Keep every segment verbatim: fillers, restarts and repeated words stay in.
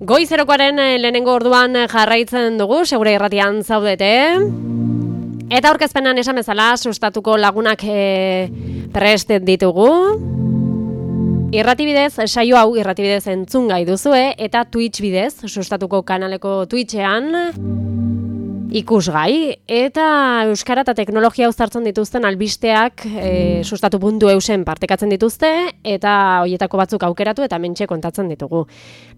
Goizerokoaren lehenengo orduan jarraitzen dugu, segura irratian zaudete. Eta aurkezpenan esan bezala, sustatuko lagunak e, prest ditugu. Irratibidez, saio hau irratibidez entzun gai duzue, eta Twitch bidez, sustatuko kanaleko Twitchean, ikusgai, eta euskara eta teknologia uztartzen dituzten albisteak e, sustatu puntu eusen partekatzen dituzte, eta hoietako batzuk aukeratu eta mentxe kontatzen ditugu.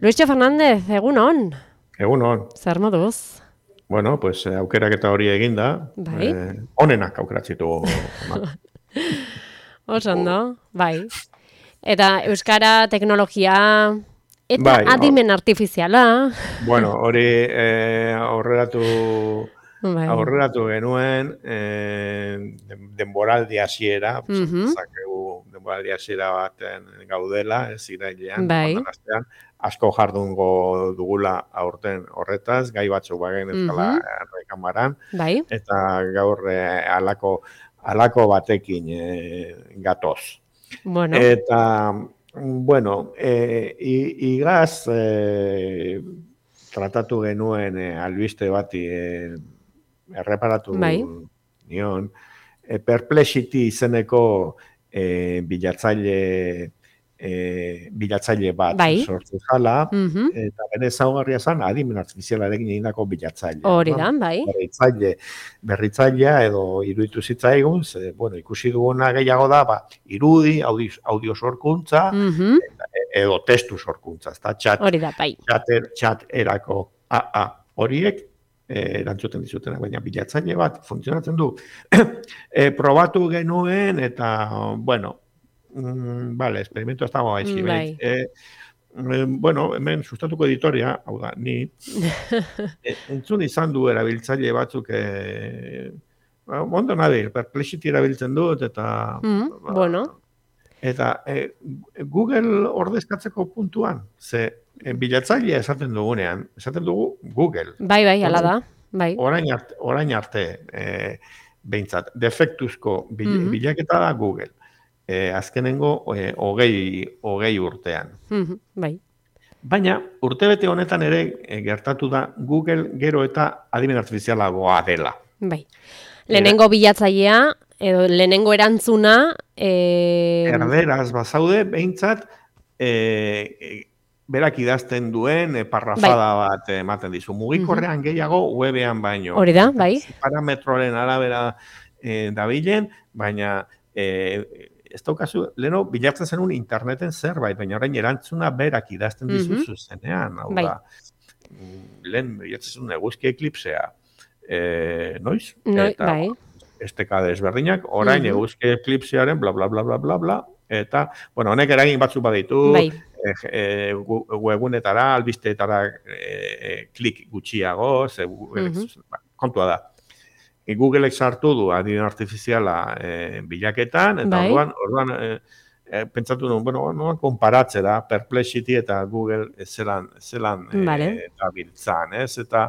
Luisio Fernandez, egunon? Egunon. Zer moduz? Bueno, pues aukerak eta hori eginda, bai. eh, onenak aukeratzitu. Osondo, bai. Eta euskara, teknologia... Eta bai, adimen artifiziala. Bueno, hori eh, aurreratu, bai. aurreratu genuen eh, denboraldi hasiera, uh -huh. zakegu denboraldi hasiera baten gaudela, ez irailean, bai. astean, asko jardungo dugula aurten horretaz, gai batzuk bagen ezkala uh -huh. errekamaran, bai. eta gaur eh, alako, alako batekin eh, gatoz. Bueno. Eta... Bueno, eh, igaz eh, tratatu genuen eh, albiste bati eh, erreparatu bai. nion. Eh, Perplexity izeneko eh, bilatzaile, eh, bilatzaile bat bai. sortu zala, uh -huh. eta bere ezaugarria zen adimen artifizialarekin egindako bilatzaile. Hori da, bai. Berritzaile, berritzailea edo iruditu zitzaigun, ze, bueno, ikusi duguna gehiago da, ba, irudi, audio, audio sorkuntza, uh -huh. edo testu sorkuntza, ezta chat, hori da, bai. chat, er, chat erako A A horiek, eh, erantzuten dizutenak, baina bilatzaile bat funtzionatzen du. eh, probatu genuen, eta, bueno, mm, vale, experimento ez dago gaixi, bai. eh, bueno, hemen sustatuko editoria, hau da, ni, entzun izan du erabiltzaile batzuk, e, ondo nabil, Perplexity erabiltzen dut, eta... Mm, ba, bueno. Eta e, Google ordezkatzeko puntuan, ze e, bilatzailea esaten dugunean, esaten dugu Google. Bai, bai, ala da. Bai. Orain arte, orain arte e, behintzat, defektuzko bil, mm -hmm. bilaketa da Google. E, azkenengo e, hogei, hogei urtean. Mm-hmm, bai. Baina, urtebete honetan ere e, gertatu da Google gero eta adimen artifizialagoa dela. Bai. Lehenengo bilatzailea, edo lehenengo erantzuna... E... Erderaz bazaude, behintzat, e, e, berak idazten duen e, parrafada bai. bat ematen dizu. Mugikorrean mm-hmm. gehiago, webean baino. Hori da, bai. Parametroren arabera e, dabilen, baina... E, ez daukazu, leheno bilatzen zenun interneten zerbait, baina orain erantzuna berak idazten dizu mm-hmm. zuzenean. Hau bai. da, lehen bilatzen zenun eguzki eklipsea. E, noiz? Noi, eta, bai. Esteka desberdinak, orain mm-hmm. eguzki eklipsearen bla, bla, bla, bla, bla, bla, eta, bueno, honek eragin batzuk baditu, bai. e, e, webunetara, albisteetara e, klik gutxiago, ze, mm-hmm. kontua da. Googleek sartu du adimen artifiziala e, bilaketan, eta bai. orduan, orduan e, e, pentsatu nuen, bueno, no, konparatzera Perplexity eta Google zelan, zelan vale. e, dabiltzan, ez? Eta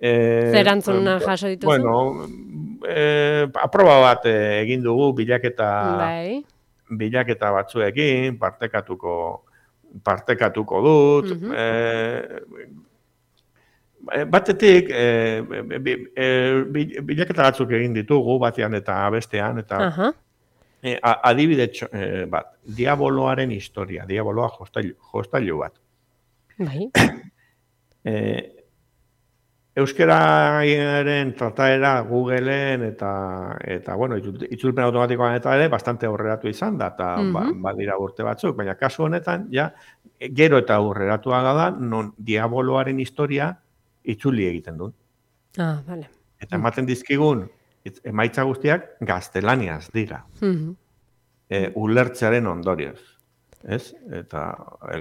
E, Zerantzuna e, jaso dituzu? Bueno, e, aproba bat egin dugu bilaketa, bai. bilaketa batzuekin, partekatuko, partekatuko dut. Mm-hmm. e, batetik, e, e, bilaketa batzuk egin ditugu, batean eta bestean, eta uh-huh. e, adibide e, bat, diaboloaren historia, diaboloa jostailu, jostailu bat. Bai. e, Euskararen trataera Googleen eta, eta bueno, itzulpen automatikoan eta ere, bastante aurreratu izan da, eta mm-hmm. badira ba urte batzuk, baina kasu honetan, ja, gero eta aurreratua da, non diaboloaren historia itzuli egiten du. Ah, vale. Eta ematen dizkigun, emaitza guztiak gaztelaniaz dira. Mm-hmm. e, ulertzearen ondorioz. Ez? Eta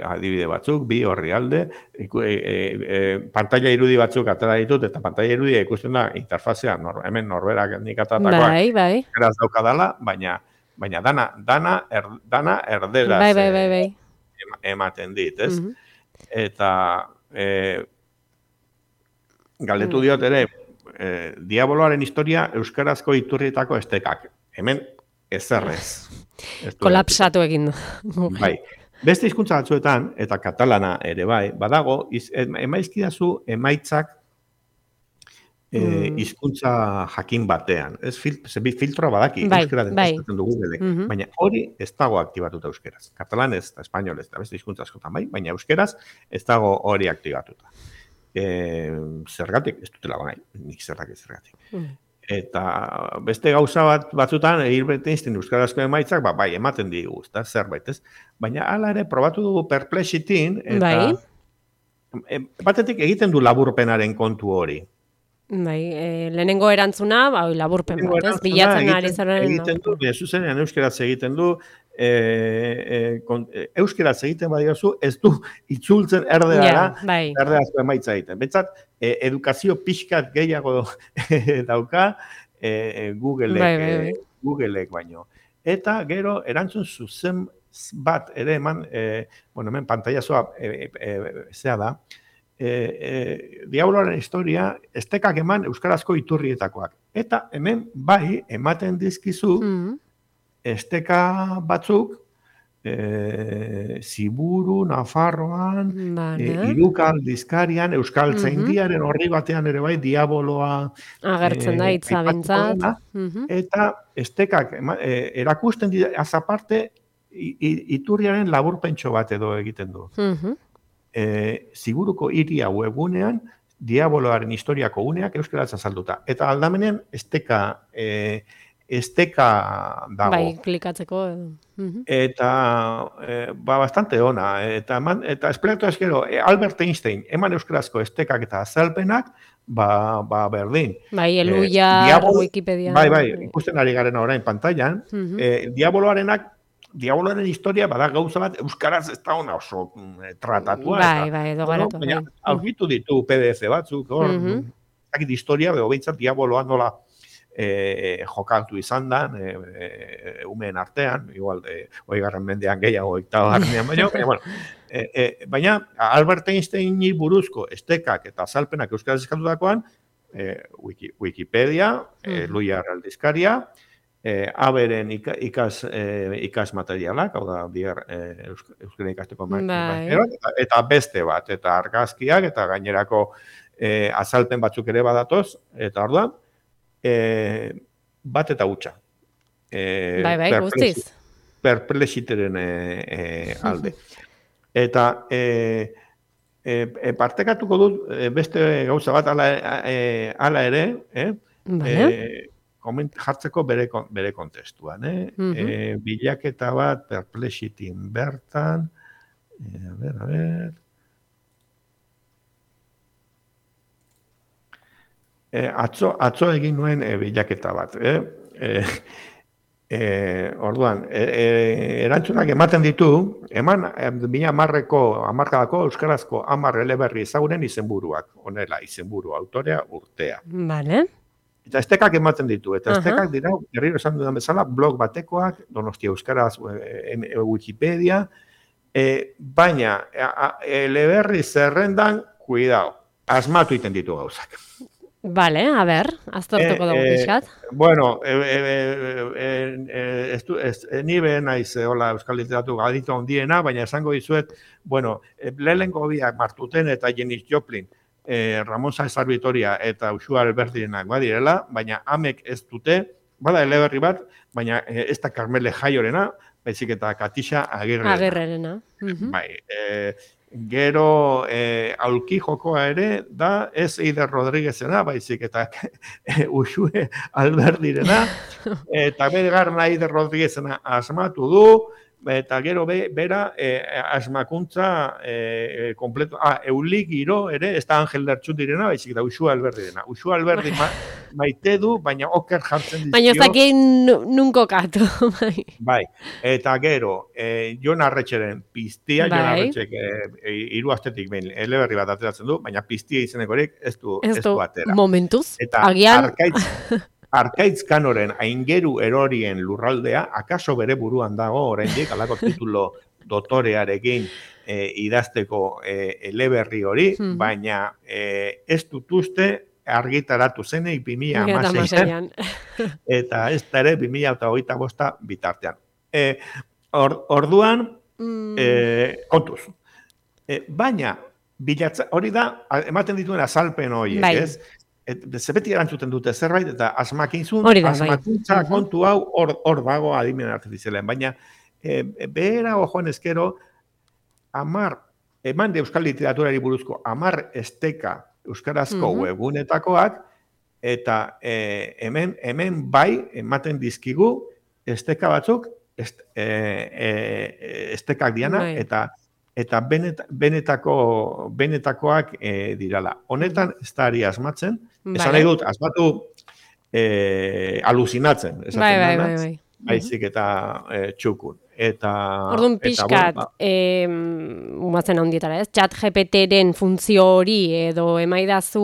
adibide batzuk, bi orrialde, e, e, e, pantalla irudi batzuk atera ditut, eta pantalla irudi ikusten da interfazea, nor, hemen norberak nik atratakoak, bai, bai. eraz daukadala, baina, baina dana, dana, er, dana erderaz bai, bai, bai, bai. ematen dit, ez? Mm-hmm. Eta e, galdetu diot ere, e, diaboloaren historia euskarazko iturrietako estekak. Hemen ezerrez. Kolapsatu egin du. Bai. Beste hizkuntza batzuetan, eta katalana ere bai, badago, iz, emaizkidazu emaitzak hizkuntza mm. jakin batean. Ez fil, filtroa badaki, bai, euskera bai. desatzen dugu gede. Mm -hmm. Baina hori ez dago aktibatuta euskeraz. Katalanez eta espainolez eta beste hizkuntza askotan bai, baina euskeraz ez dago hori aktibatuta. E, zergatik, ez dutela bai, nik zergatik zergatik. Mm. Eta beste gauza bat batzutan, Hilbert Einstein euskarazko emaitzak, ba, bai, ematen digu, eta zerbait, ez? Baina hala ere, probatu dugu Perplexityn, eta bai. batetik egiten du laburpenaren kontu hori. Bai, e, lehenengo erantzuna, bai, laburpen bat, ez? Bilatzen ari zaren. Egiten du, zuzenean euskeraz egiten du, e, e, kon, euskeraz egiten badiozu, ez du itzultzen erderara, yeah, bai. erderazko emaitza egiten. Bentsat, e, edukazio pixkat gehiago dauka, e, Googleek, bai, bai, bai. E, Googleek baino. Eta gero, erantzun zuzen bat ere eman, e, bueno, hemen pantailazoa e, e, e, zea da, E, e, diaboloaren historia estekak eman euskarazko iturrietakoak. Eta hemen bai ematen dizkizu mm. esteka batzuk e, Ziburu, Nafarroan, e, Irukal, Dizkarian, Euskal Tzaindiaren horri batean ere bai diaboloa agertzen da hitza bentsat. Eta estekak e, erakusten dira azaparte iturriaren laburpentxo bat edo egiten du. Mm-hmm. E, Ziburuko hiria webgunean diaboloaren historiako uneak euskaraz azalduta. Eta aldamenean esteka e, esteka dago. Bai, klikatzeko. Uh-huh. Eta e, ba, bastante ona. Eta, man, eta esplikatu ezkero, Albert Einstein, eman euskarazko estekak eta azalpenak, ba, ba berdin. Bai, eluia, e, diabolo, Wikipedia. Bai, bai, ikusten ari garen orain pantailan. Uh-huh. e, diaboloarenak Diaboloaren historia bada gauza bat euskaraz ez da ona oso tratatua. Bai, bai, edo garatu. Baina, aurkitu ditu P D F batzuk, hor, mm -hmm. historia, beho behintzat diaboloa nola e, jokatu izan da, e, e, umeen artean, igual, e, oigarren mendean gehiago ektaba harnean baino, baina, bueno, e, e, baina Albert Einsteini buruzko estekak eta azalpenak euskaraz eskatutakoan, e, Wiki, Wikipedia, mm -hmm. e, Luia Aldizkaria, E, aberen ikas, e, ikas materialak, hau da, dier, e, euskara ikasteko materialak, eta, eta beste bat, eta argazkiak, eta gainerako e, azalpen batzuk ere badatoz, eta orduan, e, bat eta hutsa. E, bai, bai, guztiz. Perplexiteren e, e, alde. Eta, e, e, e, partekatuko dut, e, beste gauza bat, ala, e, ala ere, eh? Vale. E, Koment, jartzeko bere, bere kontestuan. Eh? Mm -hmm. e, bilaketa bat, Perplexityn bertan. E, a ber, a ber. E, atzo, atzo egin nuen e, bilaketa bat. Eh? E, e, orduan, e, e, erantzunak ematen ditu, eman bina amarreko, amarkadako euskarazko amar eleberri ezagunen izenburuak. Honela, izenburu, autorea, urtea. Vale. Eta estekak ematen ditu, eta estekak uh-huh. dira, herriro esan dudan bezala, blog batekoak, Donostia Euskaraz, e, e, Wikipedia, e, baina, eleberri zerrendan, cuidao, asmatu iten ditu gauzak. Vale, a ber, aztertuko dugu pixkat. Bueno, e, e, e, e, estu, ez, e, ni behen naiz, hola, Euskal Literatura aditu handiena, baina esango dizuet, bueno, e, lehenko biak Martuten eta Janis Joplin, Eh, Ramon Saez Vitoria eta Uxua Alberdirenak badirela, baina amek ez dute, bada eleberri bat, baina eh, ez da Carmele Jaiorena, baizik eta Katixa Agirrerena. Agirrerena. Uh-huh. Bai, eh, gero eh, aulki jokoa ere da ez Eider Rodriguezena, baizik eta eh, Uxue Alberdirena, eta bergarna Eider Rodriguezena asmatu du, eta gero be, bera eh, asmakuntza eh, kompleto, ah, Eulik giro ere, ez da Angel Lertxutirena, baizik da Uxua Alberdirena. Uxua Alberdi ma, maite du, baina oker jartzen dizkio. Baina ez dakit nunko katu. Bai. Bai, eta gero, eh, Jon Arretxeren piztia, bai. Jon Arretxek eh, hiru astetik behin eleberri bat ateratzen du, baina piztia izenekorik ez du, ez du atera. Momentuz, eta agian... Arkaitz, Arkaitz Kanoren aingeru erorien lurraldea, akaso bere buruan dago, oraindik alako titulo dotorearekin e, idazteko e, eleberri hori, hmm. baina e, ez dut uste argitaratu zeneik bi mila hamaseian, eta ez da ere bi mila hogeita bosta bitartean. E, or, orduan, Mm. E, kontuz. E, baina, bilatza, hori da, ematen dituen azalpen horiek, bai. ez? Et, beti erantzuten dute zerbait, eta asmakintzun, Hori da, bai. asmakuntza Uh-huh. kontu hau hor, hor dago adimen artifizialen. Baina, e, behera ojoan ezkero, amar, eman de euskal literaturari buruzko, amar esteka euskarazko uh-huh. webgunetakoak, eta e, hemen, hemen bai ematen dizkigu esteka batzuk est, e, e, estekak diana, bai. eta eta benet, benetako, benetakoak e, dirala. Honetan ez da ari asmatzen, vale. Esan nahi dut, asmatu e, alusinatzen, esaten bai, bai, bai, bai. Baizik eta e, txukun. Eta, orduan pixkat, bueno, e, umatzen handietara, ez? Chat G P T-ren funtzio hori, edo emaidazu,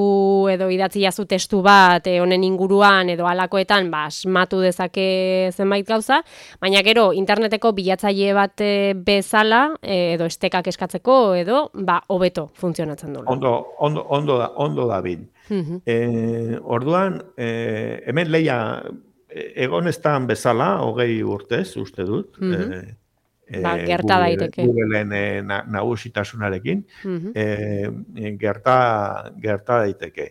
edo idatzi jazu testu bat, e, honen inguruan, edo alakoetan, ba, asmatu dezake zenbait gauza, baina gero, interneteko bilatzaile bat e, bezala, e, edo estekak eskatzeko, edo, ba, hobeto funtzionatzen dula. Ondo, ondo, ondo da, ondo da bin. Uh-huh. e, orduan, e, hemen leia, egon estan bezala, hogei urtez, uste dut, mm-hmm. e, ba, gerta Google, daiteke. Googleen e, na, nagusitasunarekin, mm-hmm. e, gerta, gerta daiteke.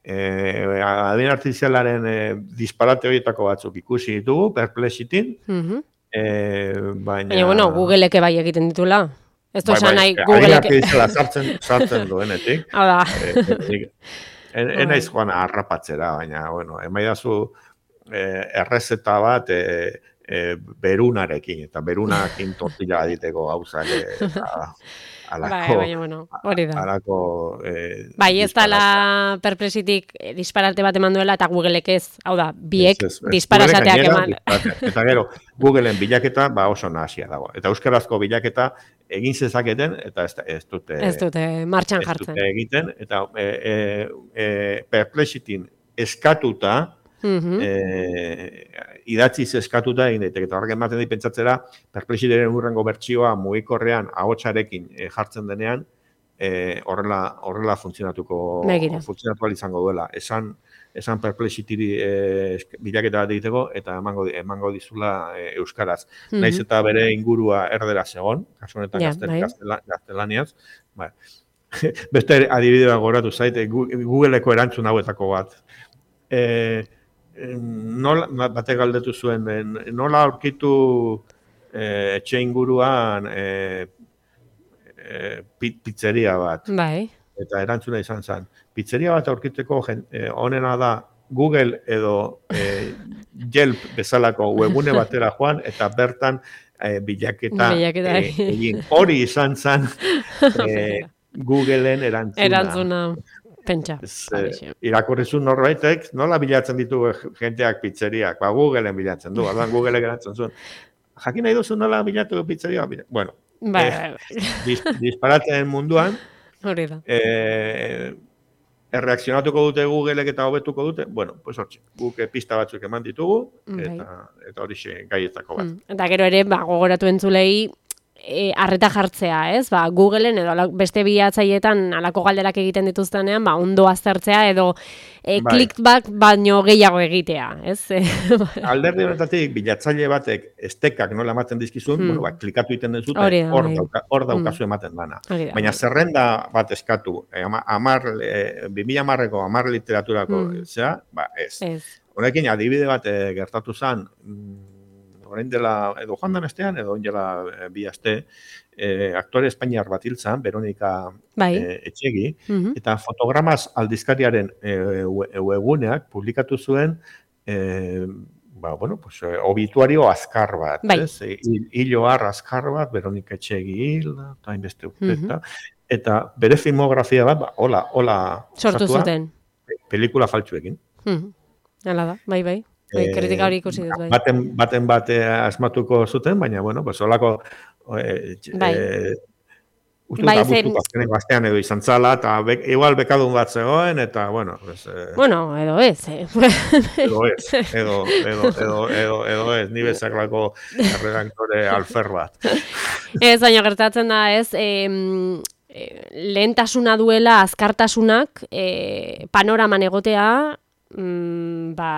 E, adin artifizialaren e, disparate horietako batzuk ikusi ditugu, Perplexity, mm-hmm. e, baina... Baina, bueno, Googleeke bai egiten ditula. Ez bai, bai, nahi, Googleeke... Adin artifiziala sartzen, sartzen duenetik. Hala. e, e, enaiz joan harrapatzera, baina, bueno, emaidazu... Eh, errezeta bat eh, eh, berunarekin, eta berunarekin tortilla aditeko gauzak eta alako, bai, bai, bueno, hori da. Alako, eh, bai, ez da la Perplexityk disparate bat eman duela, eta Googleek ez, hau da, biek disparasateak eman. Eta gero, Googleen bilaketa ba oso nahasia dago. Eta euskarazko bilaketa egin zezaketen, eta ez, ez dute... Ez dute martxan jartzen. Ez dute egiten, eta eh, eh, eh, Perplexityn eskatuta, Uh-huh. E, idatziz eskatuta egin daiteke, eta horrek ematen di pentsatzera Perplexityren urrengo bertsioa mugikorrean ahotsarekin e, jartzen denean e, horrela, horrela funtzionatuko funtzionatu izango duela. Esan, esan Perplexity e, bilaketa bat egiteko eta emango, emango dizula e, euskaraz. Uh-huh. Naiz eta bere ingurua erderaz egon, kasu honetan yeah, gaztel, gaztela, gaztelaniaz. Ba. Beste adibidea goratu zaite, Googleeko erantzun hauetako bat. E, nola, batek galdetu zuen, nola aurkitu e, etxe inguruan e, e, pizzeria bat. Bai. Eta erantzuna izan zen. Pizzeria bat aurkiteko e, onena da Google edo e, Yelp bezalako webune batera joan, eta bertan e, bilaketa egin. E, hori izan zen e, Googleen erantzuna. Erantzuna. Pentsa. Eh, irakurrizun norbaitek, nola bilatzen ditu jenteak pizzeriak? Ba, Googleen bilatzen du, orduan Google geratzen zuen. Jakin nahi duzu nola bilatu pizzeria? Bueno, ba, eh, dis, disparatzen munduan, hori da. Eh, erreakzionatuko dute Googleek eta hobetuko dute, bueno, pues hortxe, guk pista batzuk eman ditugu, eta, eta hori xe gaietako bat. Mm. Eta gero ere, ba, gogoratu entzulei, E, arreta jartzea, ez? Ba, Googleen edo ala, beste bilatzaileetan alako galderak egiten dituztenean, ba, ondo aztertzea edo e, bai. Clickback baino gehiago egitea, ez? Alderdi honetatik bilatzaile batek estekak nola ematen dizkizun, hmm. bueno, ba, klikatu egiten dut zuten, hor dauka, daukazu hmm. ematen dana. Orida, baina zerrenda bat eskatu, eh, amar, eh, bi mila hamarreko amar literaturako, hmm. zera, ba, ez. ez. Honekin, adibide bat eh, gertatu zen, orain dela, edo joan dan estean, edo ondela e, bi aste, e, aktore espainiar bat hiltzan, Veronika bai. e, Etxegi, uh-huh. eta fotogramaz aldizkariaren e, webuneak publikatu zuen, e, ba, bueno, pues, obituario azkar bat, bai. ez? Hiloar azkar bat, Veronika Etxegi hil, eta inbeste urteta, uh-huh. eta bere filmografia bat, ba, hola, hola, sortu zuten. Pelikula faltsuekin. Uh-huh. Hala da, bai, bai. Bai, kritika hori ikusi dut, bai. Baten, baten bate asmatuko zuten, baina, bueno, pues, holako... E, bai. E, Ustu bai, eta bustuko azkenek bastean edo izan zala, eta be, igual bekadun bat zegoen, eta, bueno... Pues, eh, bueno, edo ez, eh? edo ez, edo, edo, edo, edo, edo ez, ni bezaklako erredaktore alfer bat. Ez, baina gertatzen da, ez... Eh, lehentasuna duela azkartasunak eh, panoraman egotea, mm, ba...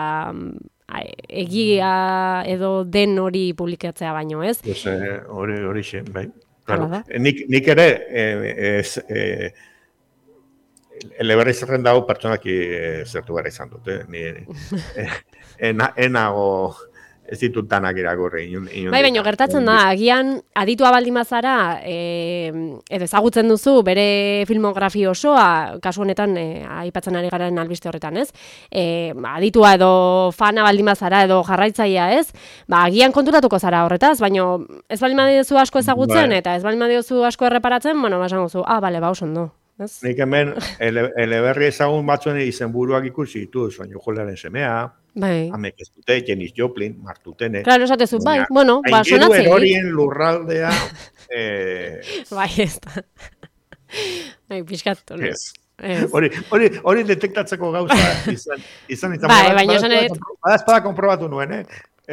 egia edo den hori publikatzea baino, ez? Pues, eh, hori, hori xe, bai. Hala Claro. da. Nik, nik ere, eh, ez, eh, eleberri zerrenda hau pertsonak eh, zertu gara izan dute. Ni, eh, ena, enago ez ditut danak irakurri. Inun, inun Bai, baina gertatzen da, agian aditua baldin bazara, e, edo ezagutzen duzu bere filmografi osoa, kasu honetan e, aipatzen ari garen albiste horretan, ez? E, aditua edo fana baldin bazara edo jarraitzailea, ez? Ba, agian konturatuko zara horretaz, baina ez baldin badiozu asko ezagutzen bai. Eta ez baldin badiozu asko erreparatzen, bueno, basan guzu, ah, bale, ba, oso ondo. Ez? Nik hemen ele, eleberri ezagun batzuen izenburuak ikusi ditu, soinu jolearen semea, Bai. Amek ez dute, Janis Joplin, Martutene. Claro, esatezu, bai, bueno, ba, sonatzei. Horien lurraldea... eh, bai, ez da. Bai, pixkatu. Ez. Hori, hori, hori detektatzeko gauza izan, izan izan. Bai, baina esan edo... Badazpada konprobatu nuen, eh?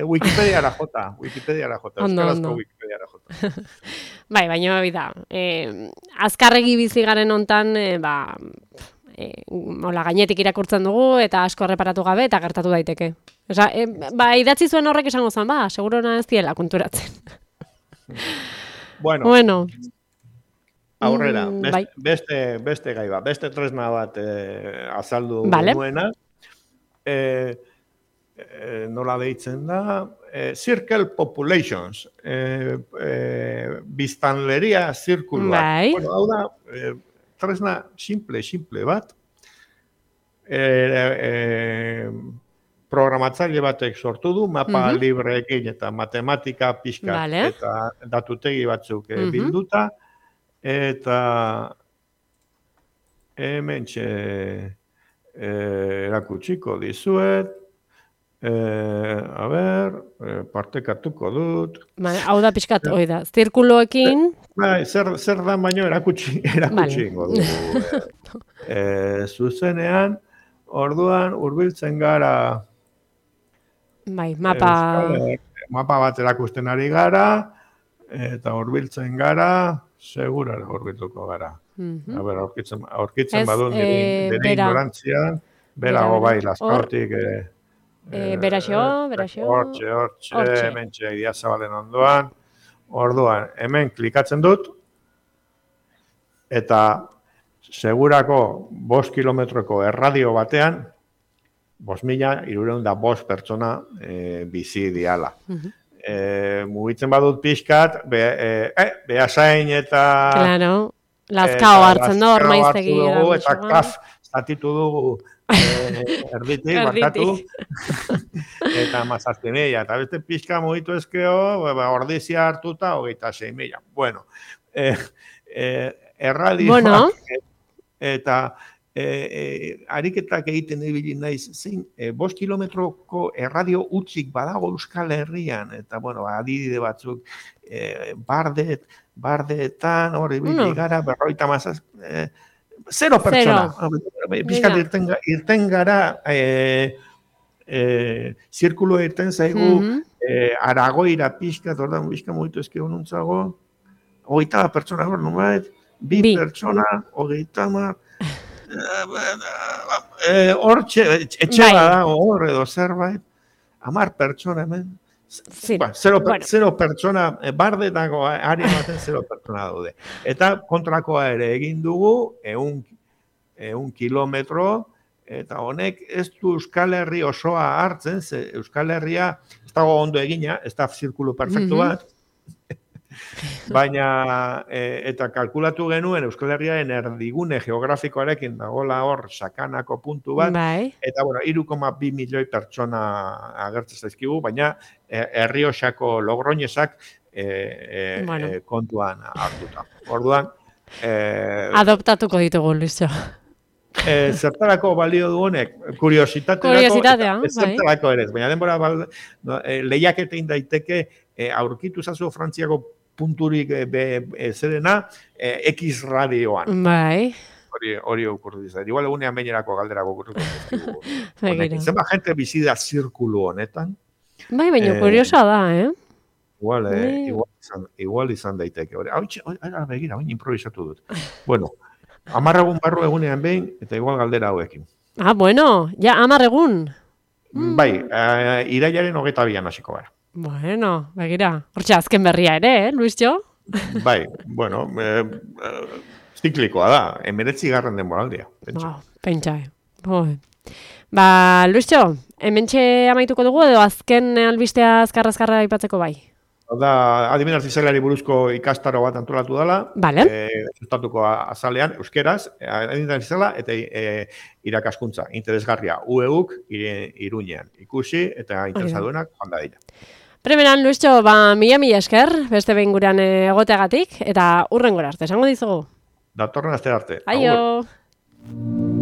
Wikipediara jota, Wikipediara jota, ondo, euskarazko ondo. Wikipediara jota. Bai, baina bida, eh, azkarregi bizi garen hontan, eh, ba... E, hola, gainetik irakurtzen dugu eta asko erreparatu gabe eta gertatu daiteke. Osa, e, ba, idatzi zuen horrek esango zen, ba, segurona ez diela konturatzen. Bueno, bueno. aurrera, Mm, beste, bai. beste, beste gai bat, beste tresna bat eh, azaldu Vale. genuena. Eh, eh, nola deitzen da, eh, Circle Populations, eh, eh, biztanleria zirkuluak. Bai. Bueno, hau da, eh, tresna simple, simple bat, e, e, programatzaile batek sortu du, mapa Mhm. libreekin eta matematika pixka Vale. eta datutegi batzuk eh, Mhm. bilduta, eta hemen txe erakutsiko dizuet, eh, a ber, eh, partekatuko dut, Ba, hau da pixkat, hoi da, zirkuloekin, Bai, zer, zer dan baino erakutsi, erakutsi ingo dugu. e, e, zuzenean, orduan hurbiltzen gara bai, mapa... Euskal, mapa bat erakusten ari gara, eta hurbiltzen gara, segura hurbilduko gara. Mhm. A ber, aurkitzen, aurkitzen Ez, badu nire, eh, nire bera. ignorantzian, Bera, berago bera. bai, laskautik, eh, Eh, beraxo, beraxo. Hortxe, hortxe, Hortxe. hemen txe, Idiazabalen ondoan. Orduan, hemen klikatzen dut, eta segurako bost kilometroko erradio batean, bost mila, irureun da bost pertsona e, bizi diala. Mhm. E, mugitzen badut pixkat, be, e, eh, behasain eta... Claro, lazkao hartzen da, hor Lazkao maiztegi. hartu dugu, eta erabiltzuan. kaf, zatitu dugu e, erditik, barkatu. Eta mazazpi mila, eta beste pixka mugitu ezkeo, ba, ordizia hartuta, hogeita sei mila. Bueno, eh, eh, erradioak Bueno. eta eh, eh, ariketak egiten ibili naiz, zein, eh, bost kilometroko erradio utzik badago Euskal Herrian, eta, bueno, adibide batzuk, eh, bardet, bardeetan, hori ibili Bueno. gara, berroita mazaz, eh, zero pertsona. Pixkat irten, ga- irten gara, eh, eh, zirkulo irten zaigu, Mhm. eh, Aragoira pixka, ordan pixka mugitu ezkio nuntzago, hogeita pertsona hor, numait, bi, Bi. pertsona, hogeita mar, eh, hor, etxe Bai. badago hor edo zerbait, hamar pertsona hemen, Zero. Ba, zero, per- Bueno. zero pertsona, eh, bardetako ari baten zero pertsona daude. Eta kontrakoa ere egin dugu, eun, eun kilometro, eta honek ez du Euskal Herri osoa hartzen, ze Euskal Herria ez dago ondo egina, ez da zirkulu perfektu Mhm. bat, baina e, eta kalkulatu genuen Euskal Herriaren erdigune geografikoarekin dagola hor sakanako puntu bat, Bai. eta bueno, hiru koma bi milioi pertsona agertzen zaizkigu, baina e, Errioxako Logroñesak e, e, Bueno. e, kontuan hartuta. Orduan, e, Adoptatuko ditugu, Luizio. e, zertarako balio du honek, kuriositaterako, Kuriositatea, eta zertarako ere, ez, baina denbora bal, no, e, lehiaketein daiteke e, aurkitu zazu Frantziako punturik e, be, e, zerena e, X radioan. Bai. Hori hori okurri izan. Igual egunean beinerako galderako okurriko zaizkigu. Begira. Honekin. Zenbat jente bizi da zirkulu honetan? Bai, baina Eh, kuriosa da, eh? Igual, eh, Bai. igual, izan, igual izan daiteke. Hori, hau, hau, hau, begira, hau improvisatu dut. Bueno, hamar egun barru egunean behin, eta igual galdera hauekin. Ah, bueno, ja, hamar egun. Mm. Bai, uh, irailaren hogeita bian hasiko gara. Bueno, begira, hortxe azken berria ere, eh, Luistxo? Bai, bueno, eh, eh, ziklikoa da, emeretzi garren denboraldia. Wow, pentsa, eh. Ba, Luistxo, hementxe amaituko dugu edo azken albistea azkarra-azkarra aipatzeko bai? Da, adimen artizialari buruzko ikastaro bat antolatu dela, vale. e, sustatuko azalean, euskeraz, adimen artiziala eta e, irakaskuntza, interesgarria, U E U-k Iruñean, ikusi eta interesaduenak joan da dira. Primeran, Luistxo, ba, mila mila esker, beste behin gurean egoteagatik, eta urren gora arte, esango dizugu? Datorren aste arte. Aio! Agur.